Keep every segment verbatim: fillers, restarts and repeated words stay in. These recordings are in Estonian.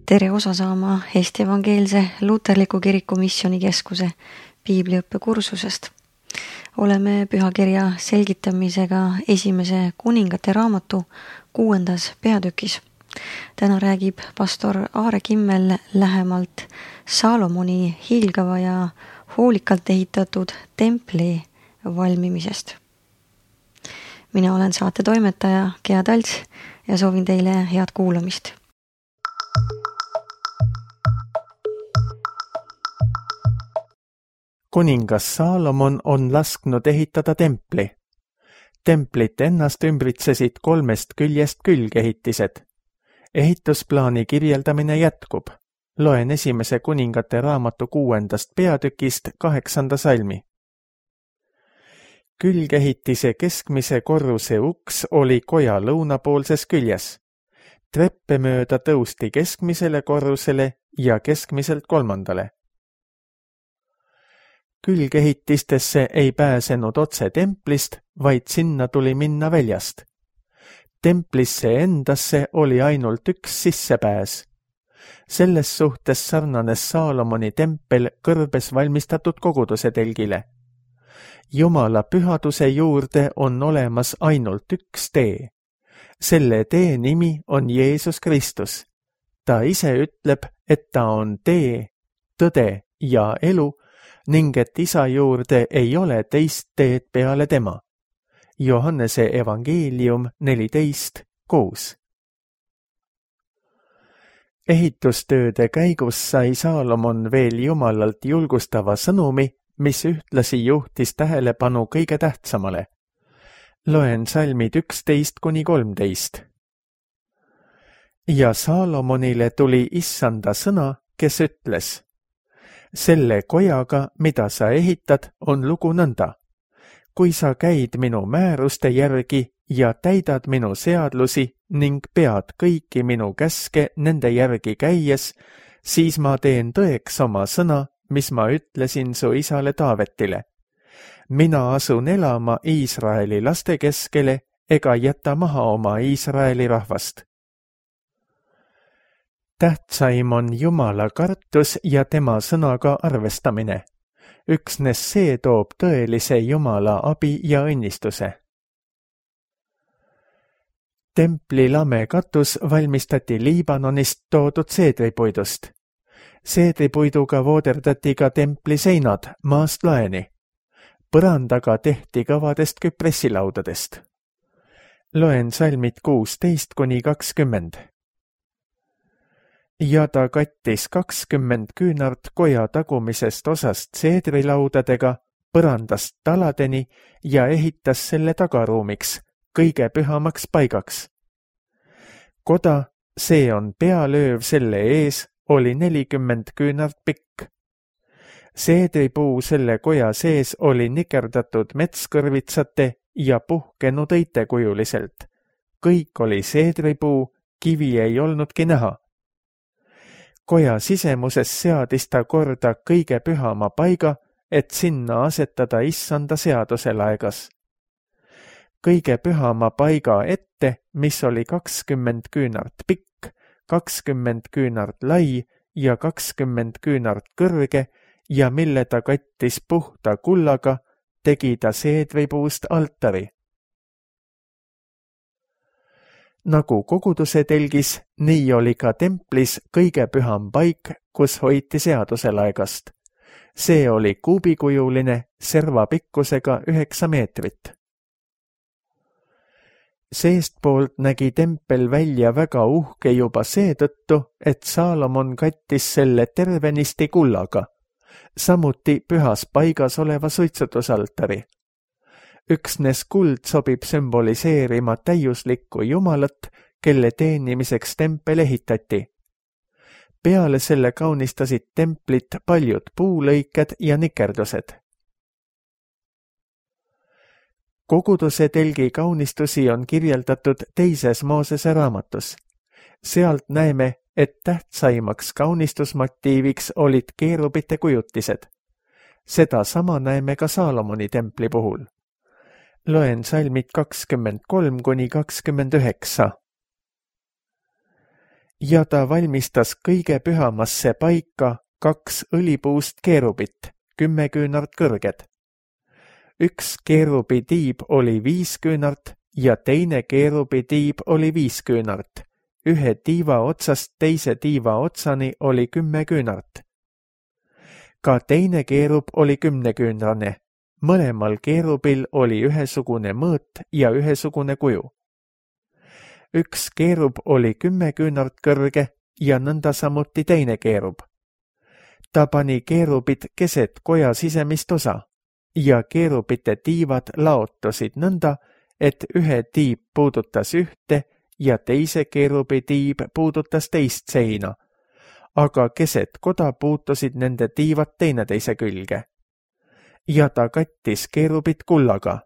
Tere osa saama Eesti Evangeelse Luterliku Kiriku Missioonikeskuse piibliõppe kursusest. Oleme pühakirja selgitamisega esimese kuningate raamatu kuuendas peatükis. Täna räägib pastor Aare Kimmel lähemalt Saalomoni hiilgava ja hoolikalt ehitatud templi valmimisest. Mina olen saate toimetaja Gea Talts ja soovin teile head kuulamist. Kuningas Saalomon on lasknud ehitada templi. Templit ennast ümbritsesid kolmest küljest külgehitised. Ehitusplaani kirjeldamine jätkub. Loen esimese kuningate raamatu kuuendast peatükist kaheksanda salmi. Külgehitise keskmise korruse uks oli koja lõunapoolses küljes. Treppe mööda tõusti keskmisele korrusele ja keskmiselt kolmandale. Külgehitistesse ei pääsenud otse templist, vaid sinna tuli minna väljast. Templisse endasse oli ainult üks sissepääs. Selles suhtes sarnanes Saalomoni tempel kõrbes valmistatud koguduse telgile. Jumala pühaduse juurde on olemas ainult üks tee. Selle tee nimi on Jeesus Kristus. Ta ise ütleb, et ta on tee, tõde ja elu, ning et isa juurde ei ole teist teed peale tema. Johannese evangeelium neliteist kuus. Ehitustööde käigus sai Saalomon veel Jumalalt julgustava sõnumi, mis ühtlasi juhtis tähelepanu kõige tähtsamale. Loen salmid üksteist kuni kolmteist. Ja Saalomonile tuli issanda sõna, kes ütles: Selle kojaga, mida sa ehitad, on lugu nõnda. Kui sa käid minu määruste järgi ja täidad minu seadlusi ning pead kõiki minu käske nende järgi käies, siis ma teen tõeks oma sõna, mis ma ütlesin su isale Taavetile. Mina asun elama Iisraeli laste keskele ega jäta maha oma Iisraeli rahvast. Tähtsaim on Jumala kartus ja tema sõnaga arvestamine. Üksnes see toob tõelise Jumala abi ja õnnistuse. Templi lame katus valmistati Liibanonist toodud seedripuidust. Seedripuiduga vooderdati ka templi seinad maast laeni. Põrandaga tehti kavadest küpressilaudadest. Loen salmid kuusteist kuni kakskümmend. Ja ta kattis kakskümmend küünart koja tagumisest osast seedrilaudadega, põrandast taladeni ja ehitas selle tagaruumiks, kõige pühamaks paigaks. Koda, see on pealööv selle ees, oli nelikümmend küünart pikk. Seedripuu selle koja sees oli nikerdatud metskõrvitsate ja puhkenud õitekujuliselt. Kõik oli seedripuu, kivi ei olnudki näha. Koja sisemuses seadis ta korda kõige pühama paiga, et sinna asetada issanda seaduse laegas. Kõige pühama paiga ette, mis oli kakskümmend küünart pikk, kakskümmend küünart lai ja kakskümmend küünart kõrge ja mille ta kattis puhta kullaga, tegi ta seedripuust altari. Nagu koguduse telgis, nii oli ka templis kõige püham paik, kus hoiti seaduse laegast. See oli kuubikujuline, serva pikkusega üheksa meetrit. Seestpoolt nägi tempel välja väga uhke juba seetõttu, et Saalomon kattis selle tervenisti kullaga, samuti pühas paigas oleva suitsutusaltari. Üksnes kuld sobib sümboliseerima täiuslikku Jumalat, kelle teenimiseks tempel ehitati. Peale selle kaunistasid templit paljud puulõiked ja nikerdused. Koguduse telgi kaunistusi on kirjeldatud teises Moosese raamatus. Sealt näeme, et tähtsaimaks kaunistusmotiiviks olid keerubite kujutised. Seda sama näeme ka Saalomoni templi puhul. Loen salmid kakskümmend kolm kuni kakskümmend üheksa. ja ta valmistas kõige pühamasse paika kaks õlipuust keerubit, kümme küünart kõrged. Üks keerubi tiib oli viis küünart ja teine keerubi tiib oli viis küünart. Ühe tiiva otsast teise tiiva otsani oli kümme küünart. Ka teine keerub oli kümneküünrane. Mõlemal keerubil oli ühesugune mõõt ja ühesugune kuju. Üks keerub oli kümme küünart kõrge ja nõnda samuti teine keerub. Ta pani keerubid keset koja sisemist osa ja keerubite tiivad laotusid nõnda, et ühe tiib puudutas ühte ja teise keerubi tiib puudutas teist seina, aga keset koda puutusid nende tiivad teineteise külge. Ja ta kattis keerubid kullaga.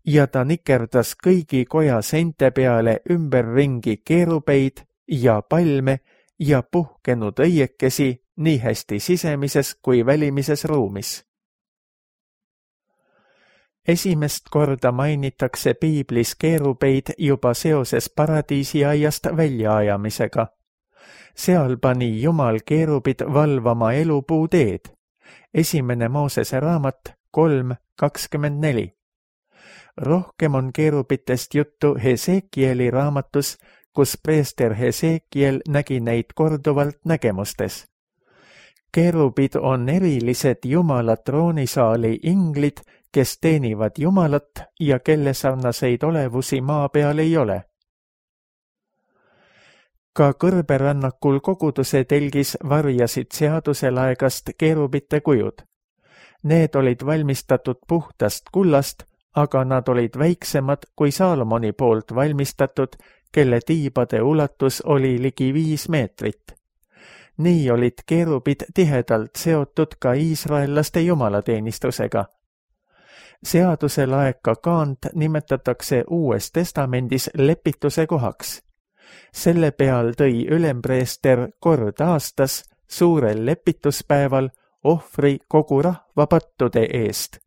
Ja ta nikerdas kõigi koja seinte peale ümberringi keerubeid ja palme ja puhkenud õiekesi nii hästi sisemises kui välimises ruumis. Esimest korda mainitakse piiblis keerubeid juba seoses paradiisiaiast väljaajamisega. Seal pani Jumal keerubid valvama elupuu teed. Esimene Moosese raamat kolm kakskümmend neli. Rohkem on keerubitest juttu Hesekieli raamatus, kus preester Hesekiel nägi neid korduvalt nägemustes. Keerubid on erilised Jumala troonisaali inglid, kes teenivad Jumalat ja kelle sarnaseid olevusi maa peal ei ole. Ka kõrberännakul koguduse telgis varjasid seaduselaegast keerubite kujud. Need olid valmistatud puhtast kullast, aga nad olid väiksemad kui Saalomoni poolt valmistatud, kelle tiibade ulatus oli ligi viis meetrit. Nii olid keerubid tihedalt seotud ka iisraellaste jumalateenistusega. Seaduselaeka kaant nimetatakse Uues testamendis lepituse kohaks. Selle peal tõi ülempreester kord aastas suurel lepituspäeval ohvri kogu rahva pattude eest.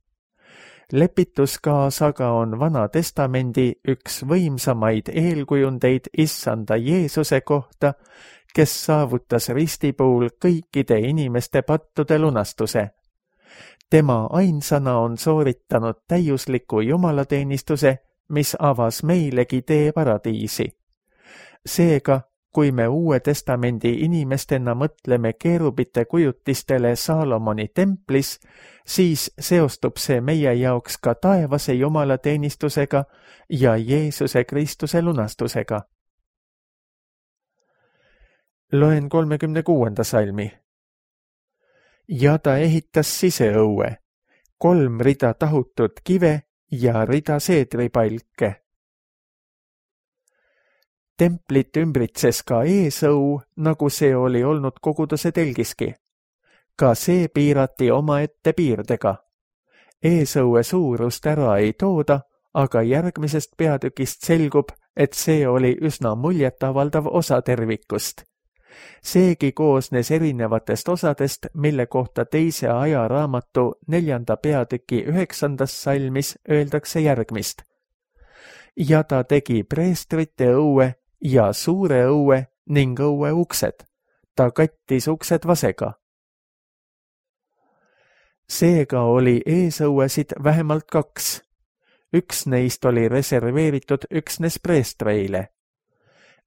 Lepituskaas aga on Vana testamendi üks võimsamaid eelkujundeid issanda Jeesuse kohta, kes saavutas ristipuul kõikide inimeste pattude lunastuse. Tema ainsana on sooritanud täiusliku jumalateenistuse, mis avas meilegi tee paradiisi. Seega, kui me Uue testamendi inimestena mõtleme keerubite kujutistele Saalomoni templis, siis seostub see meie jaoks ka taevase jumalateenistusega ja Jeesuse Kristuse lunastusega. Loen kolmekümne kuuenda salmi. Ja ta ehitas siseõue, kolm rida tahutud kive ja rida seedripalke. Templit ümbritses ka eesõu, nagu see oli olnud koguduse telgiski. Ka see piirati omaette piirdega. Eesõue suurust ära ei tooda, aga järgmisest peatükist selgub, et see oli üsna muljetavaldav osa tervikust. Seegi koosnes erinevatest osadest, mille kohta teise ajaraamatu neljanda peatüki üheksandas salmis öeldakse järgmist. Ja ta tegi preestrite õue ja suure õue ning õue uksed. Ta kattis uksed vasega. Seega oli eesõuesid vähemalt kaks. Üks neist oli reserveeritud üksnes preestreile.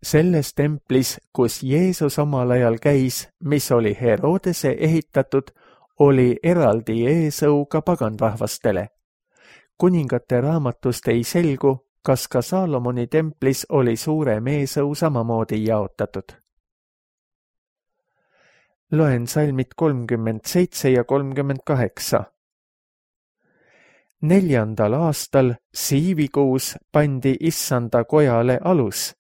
Selles templis, kus Jeesus omal ajal käis, mis oli Herodese ehitatud, oli eraldi eesõu ka paganrahvastele. Kuningate raamatust ei selgu, kas ka Saalomoni templis oli suurem eesõu samamoodi jaotatud. Loen salmid kolmkümmend seitse ja kolmkümmend kaheksa. Neljandal aastal siivikuus pandi issanda kojale alus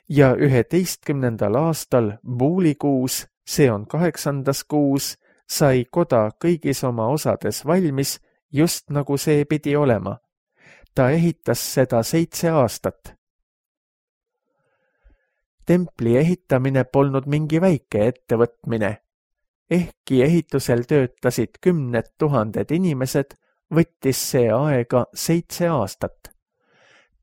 ja üheteistkümnendal aastal buulikuus, see on kaheksandas kuus, sai koda kõigis oma osades valmis, just nagu see pidi olema. Ta ehitas seda seitse aastat. Templi ehitamine polnud mingi väike ettevõtmine. Ehkki ehitusel töötasid kümned tuhanded inimesed, võttis see aega seitse aastat.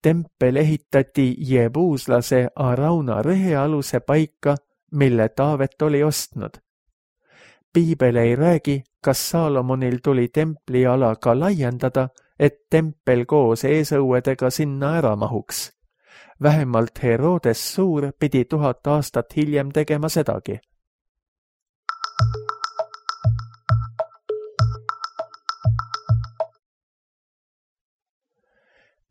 Tempel ehitati jebuuslase Arauna rehealuse paika, mille Taavet oli ostnud. Piibel ei räägi, kas Saalomonil tuli templiala ka laiendada, et tempel koos eesõuedega sinna ära mahuks. Vähemalt Herodes Suur pidi tuhat aastat hiljem tegema sedagi.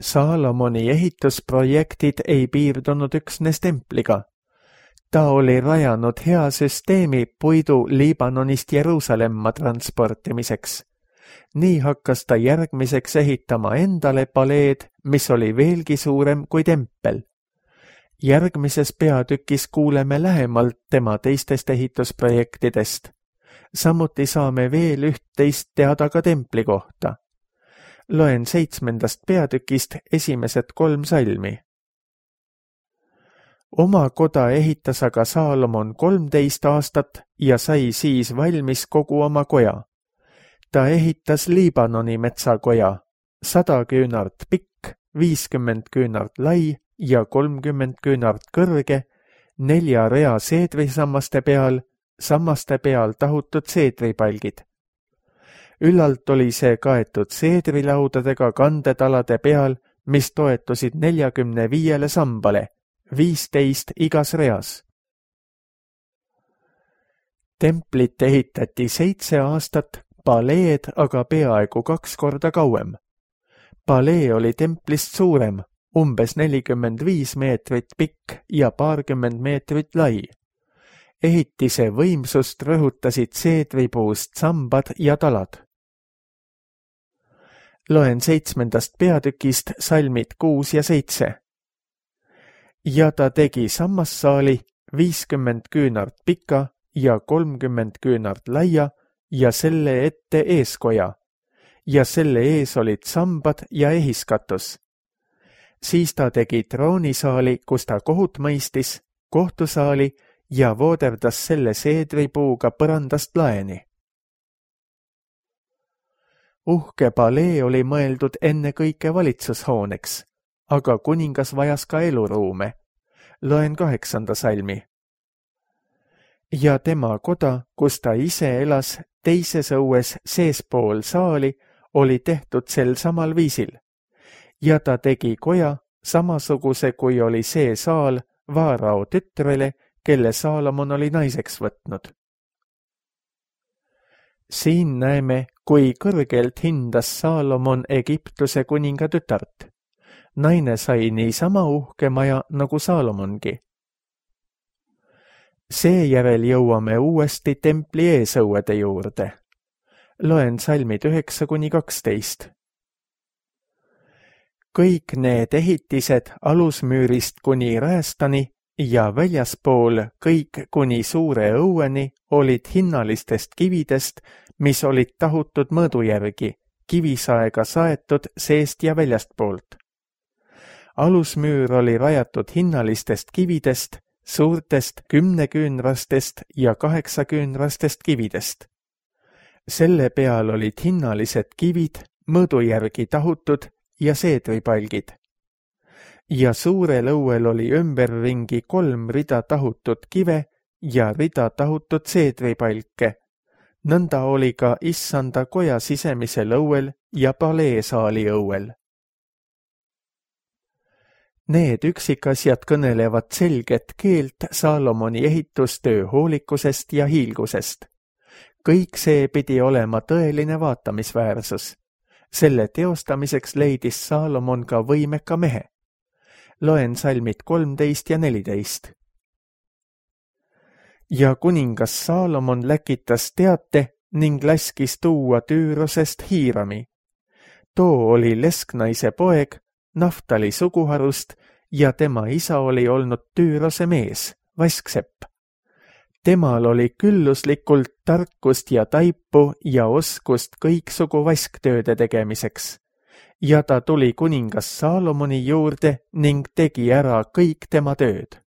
Saalomoni ehitusprojektid ei piirdunud üksnes templiga. Ta oli rajanud hea süsteemi puidu Liibanonist Jeruusalemma transportimiseks. Nii hakkas ta järgmiseks ehitama endale paleed, mis oli veelgi suurem kui tempel. Järgmises peatükis kuuleme lähemalt tema teistest ehitusprojektidest. Samuti saame veel üht-teist teada ka templi kohta. Loen seitsmendast peatükist esimesed kolm salmi. Oma koda ehitas aga Saalomon kolmteist aastat ja sai siis valmis kogu oma koja. Ta ehitas Liibanoni metsakoja, sada küünart pikk, viiskümmend küünart lai ja kolmkümmend küünart kõrge, nelja rea seedrisammaste peal, sammaste peal tahutud seedripalgid. Üllalt oli see kaetud seedrilaudadega kandetalade peal, mis toetusid neljakümne viiele sambale, viisteist igas reas. Templit ehitati seitse aastat, paleed aga peaaegu kaks korda kauem. Palee oli templist suurem, umbes nelikümmend viis meetrit pikk ja paarkümmend meetrit lai. Ehitise võimsust rõhutasid seedripuust sambad ja talad. Loen seitsmendast peatükist salmid kuus ja seitse. Ja ta tegi sammassaali viiskümmend küünart pika ja kolmkümmend küünart laia ja selle ette eeskoja, ja selle ees olid sambad ja ehiskatus. Siis ta tegi troonisaali, kus ta kohut mõistis, kohtusaali ja vooderdas selle seedripuuga põrandast laeni. Uhke palee oli mõeldud ennekõike valitsushooneks, aga kuningas vajas ka eluruume. Loen kaheksanda salmi. Ja tema koda, kus ta ise elas teises õues seespool saali, oli tehtud sel samal viisil. Ja ta tegi koja samasuguse, kui oli see saal Vaarao tütrele, kelle Saalomon oli naiseks võtnud. Siin näeme, kui kõrgelt hindas Saalomon Egiptuse kuninga tütart. Naine sai niisama uhke maja nagu Saalomongi. Seejärel jõuame uuesti templi eesõuede juurde. Loen salmid üheksa kuni kaksteist. Kõik need ehitised alusmüürist kuni räästani ja väljaspool kõik kuni suure õueni olid hinnalistest kividest, mis olid tahutud mõõdu järgi, kivisaega saetud seest ja väljastpoolt. Alusmüür oli rajatud hinnalistest kividest, suurtest kümneküünrastest ja kaheksaküünrastest kividest. Selle peal olid hinnalised kivid, mõõdu järgi tahutud ja seedripalgid. Ja suurel õuel oli ümberringi kolm rida tahutud kive ja rida tahutud seedripalke. Nõnda oli ka issanda koja sisemisel õuel ja paleesaali õuel. Need üksikasjad kõnelevad selget keelt Saalomoni ehitustöö hoolikusest ja hiilgusest. Kõik see pidi olema tõeline vaatamisväärsus. Selle teostamiseks leidis Saalomon ka võimeka mehe. Loen salmid kolmteist ja neliteist. Ja kuningas Saalomon läkitas teate ning laskis tuua Tüürosest Hiirami. Too oli lesknaise poeg, Naftali suguharust ja tema isa oli olnud Tüürose mees, vasksepp. Temal oli külluslikult tarkust ja taipu ja oskust kõiksugu vasktööde tegemiseks. Ja ta tuli kuningas Saalomoni juurde ning tegi ära kõik tema tööd.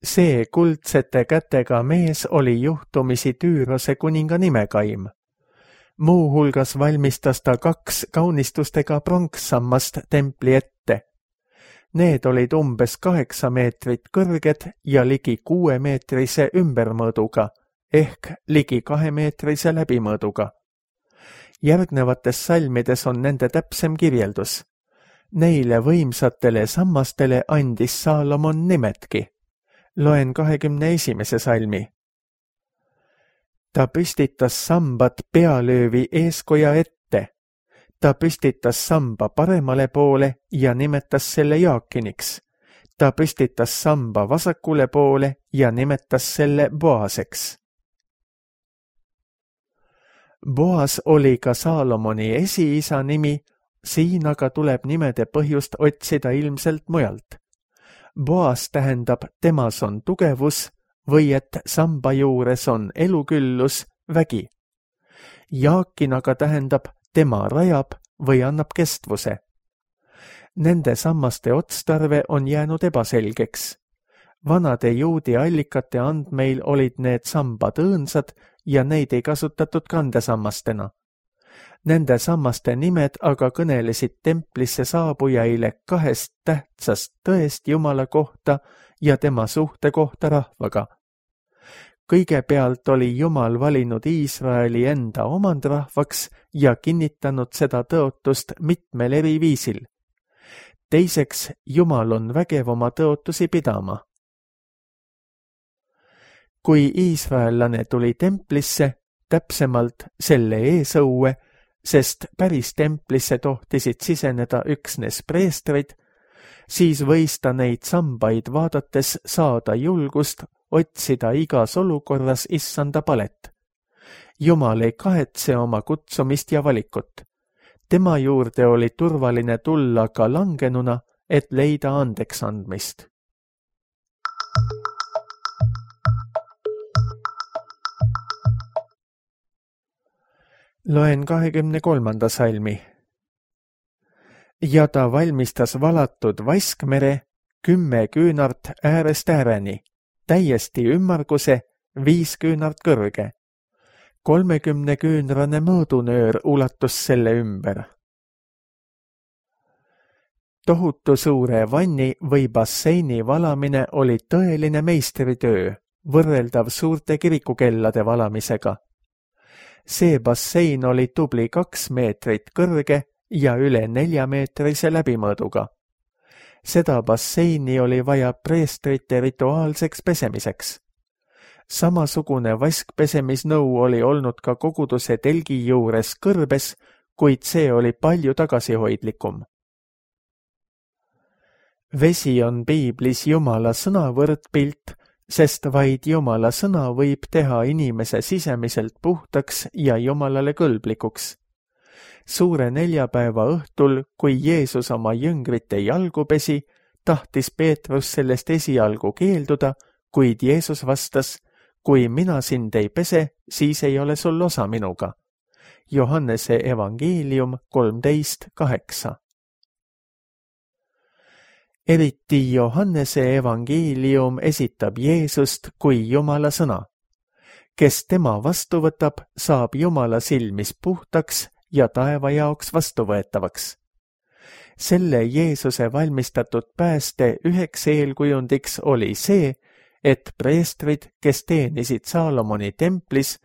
See kuldsete kätega mees oli juhtumisi Tüürose kuninga nimekaim. Muu hulgas valmistas ta kaks kaunistustega pronkssammast templi ette. Need olid umbes kaheksa meetrit kõrged ja ligi kuuemeetrise ümbermõõduga ehk ligi kahemeetrise läbimõõduga. Järgnevates salmides on nende täpsem kirjeldus. Neile võimsatele sammastele andis Saalomon nimetki. Loen kahekümne esimese salmi. Ta püstitas sambad pealöövi eeskoja ette. Ta püstitas samba paremale poole ja nimetas selle Jaakiniks. Ta püstitas samba vasakule poole ja nimetas selle Boaseks. Boas oli ka Saalomoni esiisa nimi, siin aga tuleb nimede põhjust otsida ilmselt mujalt. Boas tähendab temas on tugevus või et samba juures on eluküllus, vägi. Jaakin aga tähendab tema rajab või annab kestvuse. Nende sammaste otstarve on jäänud ebaselgeks. Vanade juudi allikate andmeil olid need sambad õõnsad ja neid ei kasutatud kandesammastena. Nende sammaste nimed aga kõnelesid templisse saabujaile kahest tähtsast tõest Jumala kohta ja tema suhte kohta rahvaga. Kõigepealt oli Jumal valinud Iisraeli enda omandrahvaks ja kinnitanud seda tõotust mitmel eri viisil. Teiseks, Jumal on vägev oma tõotusi pidama. Kui iisraellane tuli templisse, täpsemalt selle eesõue, sest päris templisse tohtisid siseneda üksnes preestrid, siis võis ta neid sambaid vaadates saada julgust otsida igas olukorras issanda palet. Jumal ei kahetse oma kutsumist ja valikut. Tema juurde oli turvaline tulla ka langenuna, et leida andeks andmist. Loen kahekümne kolmanda salmi. Ja ta valmistas valatud vaskmere kümme küünart äärest ääreni, täiesti ümmarguse, viis küünart kõrge. Kolmekümne küünrane mõõdunöör ulatus selle ümber. Tohutu suure vanni või basseini valamine oli tõeline meistritöö, võrreldav suurte kirikukellade valamisega. See bassein oli tubli kaks meetrit kõrge ja üle neljameetrise läbimõõduga. Seda basseini oli vaja preestrite rituaalseks pesemiseks. Samasugune vaskpesemisnõu oli olnud ka koguduse telgi juures kõrbes, kuid see oli palju tagasihoidlikum. Vesi on piiblis Jumala sõna võrdpilt, sest vaid Jumala sõna võib teha inimese sisemiselt puhtaks ja Jumalale kõlblikuks. Suure neljapäeva õhtul, kui Jeesus oma jüngrite jalgu pesi, tahtis Peetrus sellest esialgu keelduda, kuid Jeesus vastas, kui mina sind ei pese, siis ei ole sul osa minuga. Johannese evangeelium kolmteist kaheksa. Eriti Johannese evangeelium esitab Jeesust kui Jumala sõna. Kes tema vastu võtab, saab Jumala silmis puhtaks ja taeva jaoks vastuvõetavaks. Selle Jeesuse valmistatud pääste üheks eelkujundiks oli see, et preestrid, kes teenisid Saalomoni templis,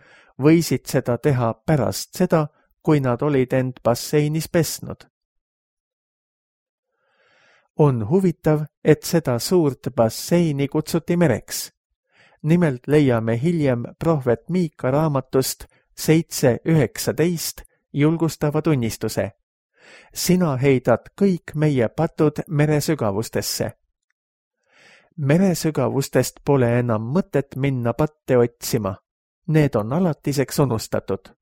võisid seda teha pärast seda, kui nad olid end basseinis pesnud. On huvitav, et seda suurt basseini kutsuti mereks. Nimelt leiame hiljem prohvet Miika raamatust seitse üheksateist julgustava tunnistuse. Sina heidad kõik meie patud meresügavustesse. Meresügavustest pole enam mõtet minna patte otsima. Need on alatiseks unustatud.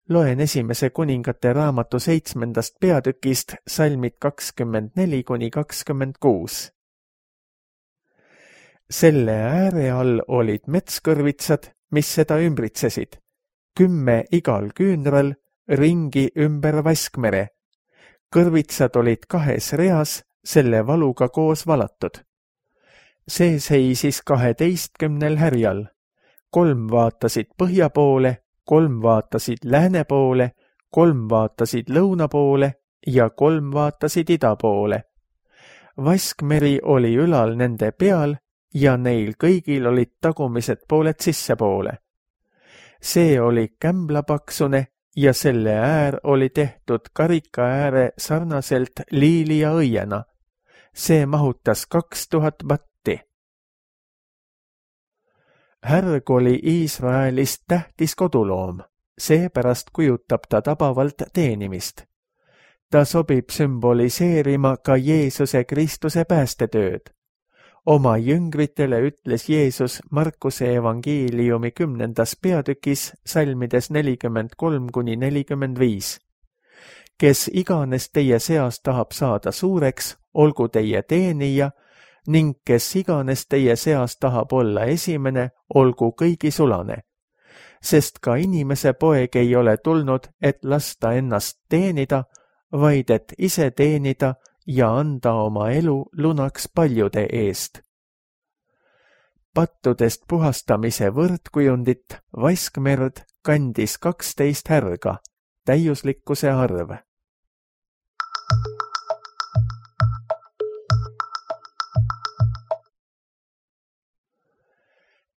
Loen esimese kuningate raamatu seitsmendast peatükist salmid kakskümmend neli kuni kakskümmend kuus. Selle ääre all olid metskõrvitsad, mis seda ümbritsesid, kümme igal küünral, ringi ümber vaskmere. Kõrvitsad olid kahes reas, selle valuga koos valatud. See seisis kaheteistkümnel härjal. kolm vaatasid põhja poole, kolm vaatasid lääne poole, kolm vaatasid lõuna poole ja kolm vaatasid ida poole. Vaskmeri oli ülal nende peal ja neil kõigil olid tagumised pooled sissepoole. See oli kämblapaksune ja selle äär oli tehtud karika ääre sarnaselt liili ja õiena. See mahutas kaks tuhat vatti. Härg oli Iisraelist tähtis koduloom, seepärast kujutab ta tabavalt teenimist. Ta sobib sümboliseerima ka Jeesuse Kristuse päästetööd. Oma jüngritele ütles Jeesus Markuse evangeeliumi kümnendas peatükis salmides nelikümmend kolm kuni nelikümmend viis. Kes iganes teie seas tahab saada suureks, olgu teie teenija, ning kes iganes teie seas tahab olla esimene, olgu kõigi sulane. Sest ka inimese poeg ei ole tulnud, et lasta ennast teenida, vaid et ise teenida ja anda oma elu lunaks paljude eest. Pattudest puhastamise võrdkujundit Vaskmerd kandis kaksteist härga, täiuslikkuse arv.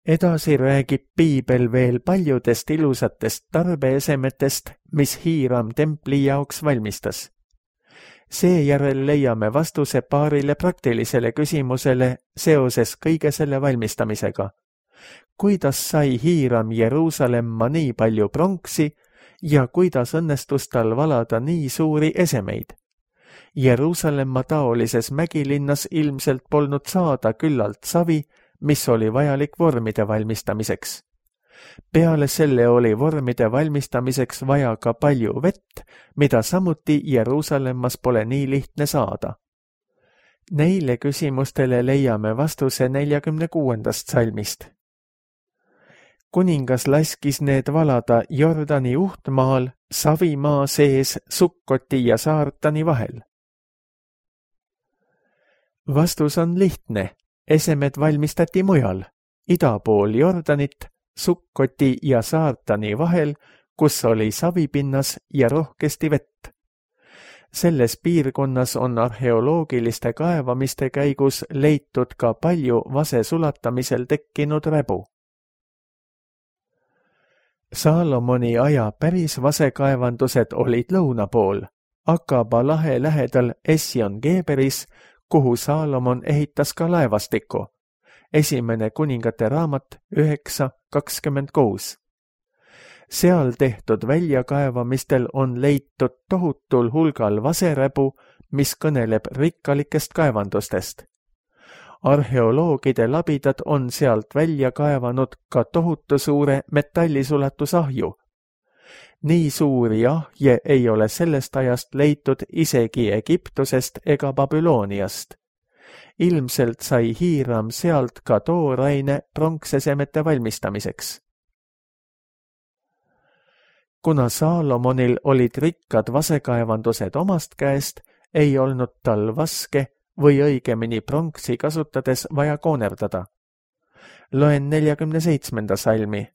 Edasi räägib piibel veel paljudest ilusatest tarbeesemetest, mis Hiiram templi jaoks valmistas. Seejärel leiame vastuse paarile praktilisele küsimusele seoses kõige selle valmistamisega. Kuidas sai Hiiram Jeruusalemma nii palju pronksi ja kuidas õnnestus tal valada nii suuri esemeid? Jeruusalemma taolises mägilinnas ilmselt polnud saada küllalt savi, mis oli vajalik vormide valmistamiseks. Peale selle oli vormide valmistamiseks vaja ka palju vett, mida samuti Jeruusalemmas pole nii lihtne saada. Neile küsimustele leiame vastuse neljakümne kuuendast salmist. Kuningas laskis need valada Jordani uhtmaal, Savimaa sees, Sukkoti ja Saartani vahel. Vastus on lihtne. Esemed valmistati mujal, ida pool Jordanit, Sukkoti ja Saartani vahel, kus oli savipinnas ja rohkesti vett. Selles piirkonnas on arheoloogiliste kaevamiste käigus leitud ka palju vase sulatamisel tekkinud räbu. Saalomoni aja päris vasekaevandused olid lõuna pool, Akaba lahe lähedal Ession-Geberis, kuhu Saalomon ehitas ka laevastiku. Esimene kuningate raamat üheksa kakskümmend kuus. Seal tehtud väljakaevamistel on leitud tohutul hulgal vaseräbu, mis kõneleb rikkalikest kaevandustest. Arheoloogide labidad on sealt välja kaevanud ka tohutu suure metallisulatusahju. Nii suuri ahje ei ole sellest ajast leitud isegi Egiptusest ega Babyloniast. Ilmselt sai Hiiram sealt ka tooraine pronksesemete valmistamiseks. Kuna Saalomonil olid rikkad vasekaevandused omast käest, ei olnud tal vaske või õigemini pronksi kasutades vaja koonerdada. Loen neljakümne seitsmenda salmi.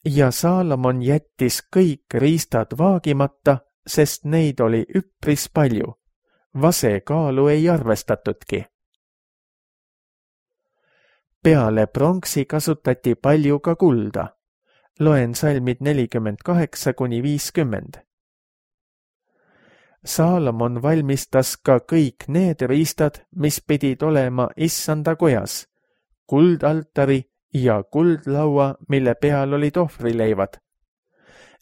Ja Saalomon jättis kõik riistad vaagimata, sest neid oli üpris palju. Vase kaalu ei arvestatudki. Peale pronksi kasutati palju ka kulda. Loen salmid nelikümmend kaheksa kuni viiskümmend. Saalomon valmistas ka kõik need riistad, mis pidid olema issanda kojas, kuldaltari ja kuldlaua, mille peal olid ohvrileivad,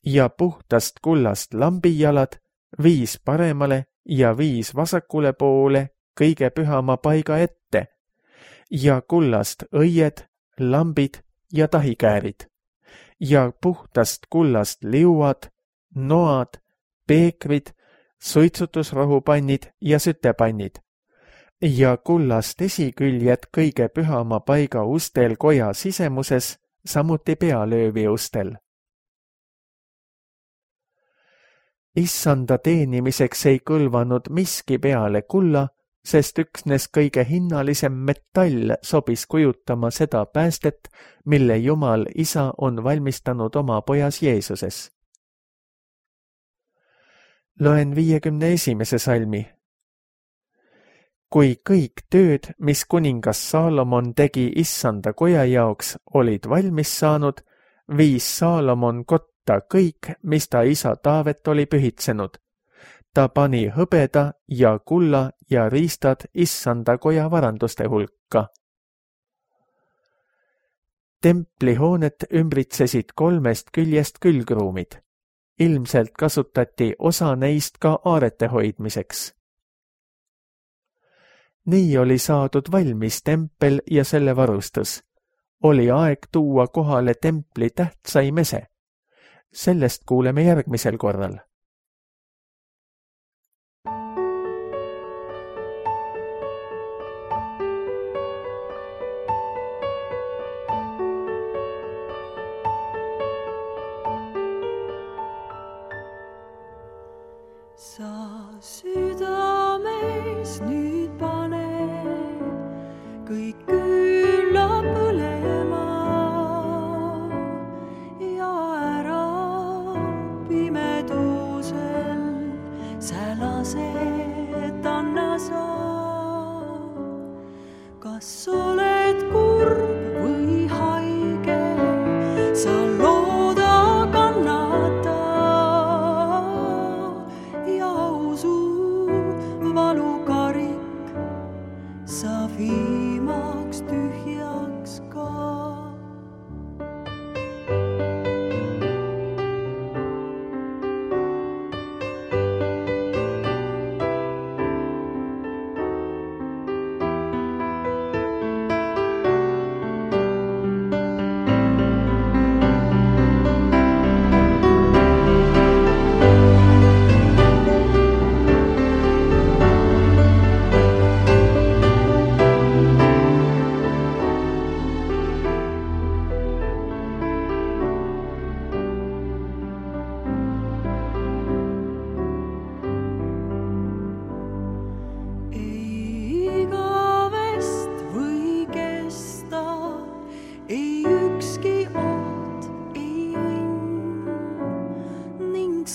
ja puhtast kullast lambijalad, viis paremale ja viis vasakule poole kõige pühama paiga ette, ja kullast õied, lambid ja tahikäärid, ja puhtast kullast liuad, noad, peekrid, suitsutusrohupannid ja sütepannid, ja kullast esiküljed kõige pühama paiga ustel koja sisemuses, samuti pealöövi ustel. Issanda teenimiseks ei kõlvanud miski peale kulla, sest üksnes kõige hinnalisem metall sobis kujutama seda päästet, mille Jumal Isa on valmistanud oma pojas Jeesuses. Loen viiekümne esimese salmi. Kui kõik tööd, mis kuningas Saalomon tegi issanda koja jaoks, olid valmis saanud, viis Saalomon kotta kõik, mis ta isa Taavet oli pühitsenud. Ta pani hõbeda ja kulla ja riistad issanda koja varanduste hulka. Templihoonet ümbritsesid kolmest küljest külgruumid. Ilmselt kasutati osa neist ka aarete hoidmiseks. Nii oli saadud valmis tempel ja selle varustus. Oli aeg tuua kohale templi tähtsaim ese. Sellest kuuleme järgmisel korral. Sa südames nüüd pane kõik külla põlema ja ära pimedusel sälased anna sa. Kas oled kurb või haige, sa looda kannata. Valukarik sa viimaks tühjaks ka.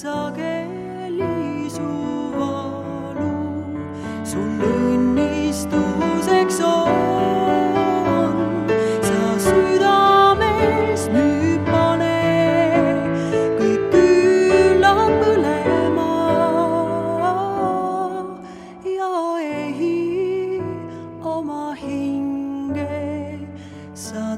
Sageli su valu sul õnnistuseks on. Sa südames nüüd pane kõik külla põlema ja ehi oma hinge sa